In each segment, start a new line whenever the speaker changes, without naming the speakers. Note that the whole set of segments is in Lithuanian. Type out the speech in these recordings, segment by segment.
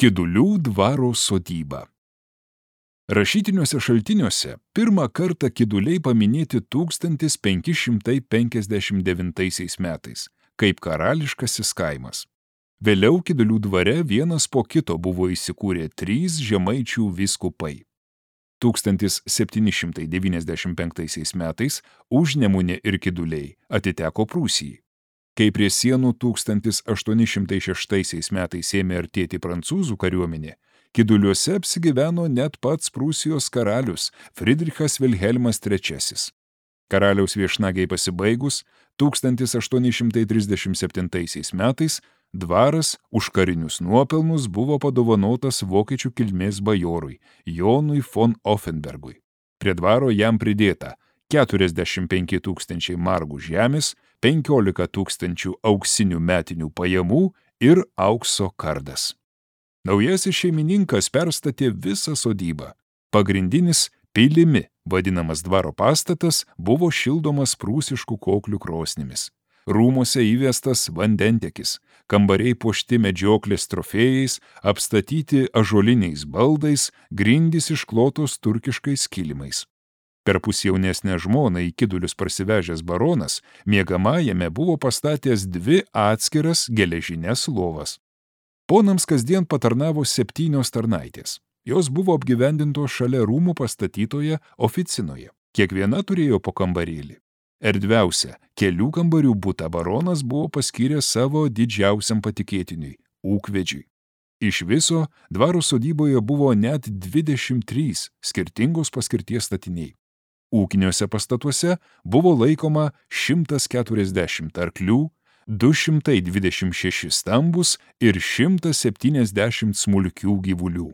Kidulių dvaro sodyba. Rašytiniuose šaltiniuose pirmą kartą Kiduliai paminėti 1559 metais, kaip karališkasis kaimas. Vėliau Kidulių dvare vienas po kito buvo įsikūrę 3 žemaičių vyskupai. 1795 metais Užnemunė ir Kiduliai atiteko Prūsijai. Kai prie sienų 1806 metais ėmė artėti prancūzų kariuomenė, Kiduliuose apsigyveno net pats Prūsijos karalius Friedrichas Vilhelmas III. Karaliaus viešnagiai pasibaigus, 1837 metais dvaras už karinius nuopelnus buvo padovanotas vokiečių kilmės bajorui Jonui von Offenbergui. Prie dvaro jam pridėta 45 000 margų žemės, 15 000 auksinių metinių pajamų ir aukso kardas. Naujasis šeimininkas perstatė visą sodybą. Pagrindinis pilimi vadinamas dvaro pastatas buvo šildomas prūsiškų koklių krosnimis. Rūmuose įvestas vandentekis, kambariai puošti medžioklės trofėjais, apstatyti ąžuoliniais baldais, grindys išklotos turkiškais kilimais. Perpus jaunesnę žmoną į Kidulius parsivežęs baronas miegamajame buvo pastatęs 2 atskiras geležines lovas. Ponams kasdien patarnavo 7 tarnaitės. Jos buvo apgyvendintos šalia rūmų pastatytoje oficinoje. Kiekviena turėjo po kambarėlį. Erdviausia kelių kambarių butą baronas buvo paskyręs savo didžiausiam patikėtiniui – ūkvedžiui. Iš viso dvaro sodyboje buvo net 23 skirtingos paskirties statiniai. Ūkiniuose pastatuose buvo laikoma 140 arklių, 226 stambus ir 170 smulkių gyvulių.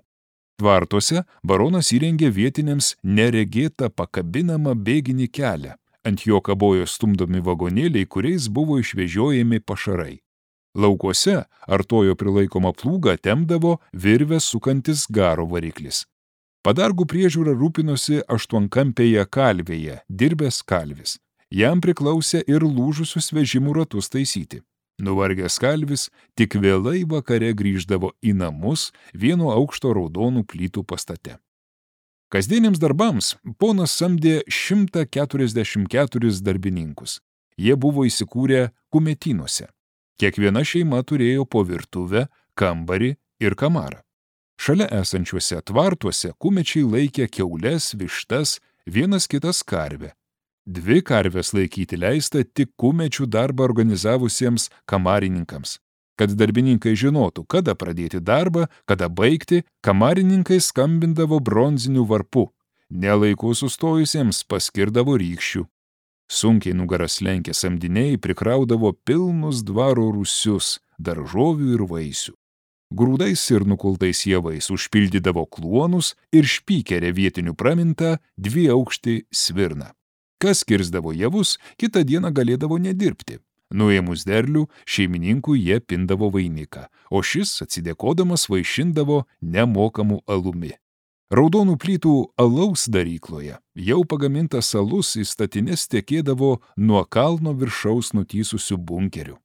Tvartuose baronas įrengė vietiniams neregėtą pakabinamą bėginį kelią. Ant jo kabojo stumdomi vagonėliai, kuriais buvo išvežiojami pašarai. Laukuose artojo prilaikoma plūga tempdavo virvę sukantis garo variklis. Padargų priežiūra rūpinosi 8-kampėje kalvėje dirbęs kalvis. Jam priklausė ir lūžusius vežimų ratus taisyti. Nuvargęs kalvis tik vėlai vakare grįždavo į namus vieno aukšto raudonų plytų pastate. Kasdieniams darbams ponas samdė 144 darbininkus. Jie buvo įsikūrę kumetynuose. Kiekviena šeima turėjo po virtuvę, kambarį ir kamarą. Šalia esančiuose tvartuose kumečiai laikė kiaules, vištas, vienas kitas karvę. 2 karvės laikyti leista tik kumečių darbą organizavusiems kamarininkams. Kad darbininkai žinotų, kada pradėti darbą, kada baigti, kamarininkai skambindavo bronziniu varpu. Nelaiku sustojusiems paskirdavo rykščių. Sunkiai nugaras lenkę samdiniai prikraudavo pilnus dvaro rūsius, daržovių ir vaisių. Grūdais ir nukultais javais užpildydavo kluonus ir špykerė vietinių pramintą 2-aukštį svirną. Kas kirsdavo javus, kitą dieną galėdavo nedirbti. Nuėmus derlių, šeimininkų jie pindavo vainiką, o šis, atsidėkodamas, vaišindavo nemokamu alumi. Raudonų plytų alaus darykloje jau pagamintas alus į statines tekėdavo nuo kalno viršaus nutysusių bunkerių.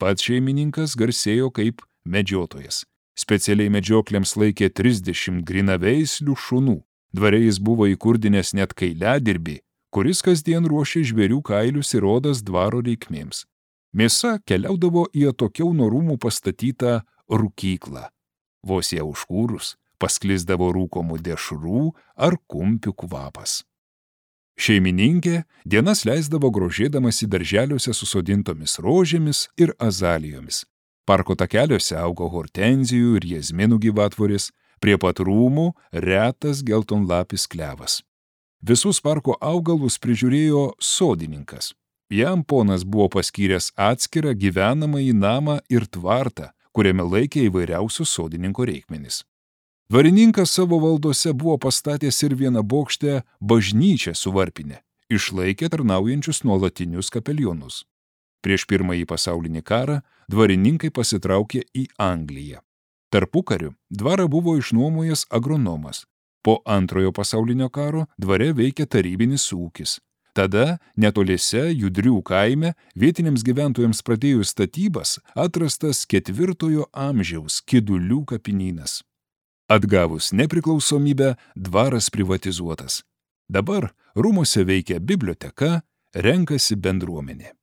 Pats šeimininkas garsėjo kaip medžiotojas. Specialiai medžioklėms laikė 30 grinaveislių šunų. Dvare jis buvo įkurdinęs net kailiadirbį, kuris kasdien ruošė žvėrių kailius ir odas dvaro reikmėms. Mėsa keliaudavo į atokiau nuo rūmų pastatytą rūkyklą. Vos ją užkūrus, pasklisdavo rūkomų dešrų ar kumpių kvapas. Šeimininkė dienas leisdavo grožėdamasi darželiuose susodintomis rožėmis ir azalijomis. Parko takeliuose augo hortenzijų ir jazminų gyvatvoris, prie pat rūmų retas geltonlapis klevas. Visus parko augalus prižiūrėjo sodininkas. Jam ponas buvo paskyręs atskirą gyvenamąjį namą ir tvartą, kuriame laikė įvairiausius sodininko reikmenis. Dvarininkas savo valdose buvo pastatęs ir vienabokštę bažnyčią su varpine, išlaikė tarnaujančius nuolatinius kapelionus. Prieš Pirmąjį pasaulinį karą dvarininkai pasitraukė į Angliją. Tarpukariu dvarą buvo išnuomojęs agronomas. Po Antrojo pasaulinio karo dvare veikė tarybinis ūkis. Tada netoliese Judrių kaime vietiniams gyventojams pradėjus statybas atrastas 4 amžiaus Kidulių kapinynas. Atgavus nepriklausomybę, dvaras privatizuotas. Dabar rūmuose veikia biblioteka, renkasi bendruomenė.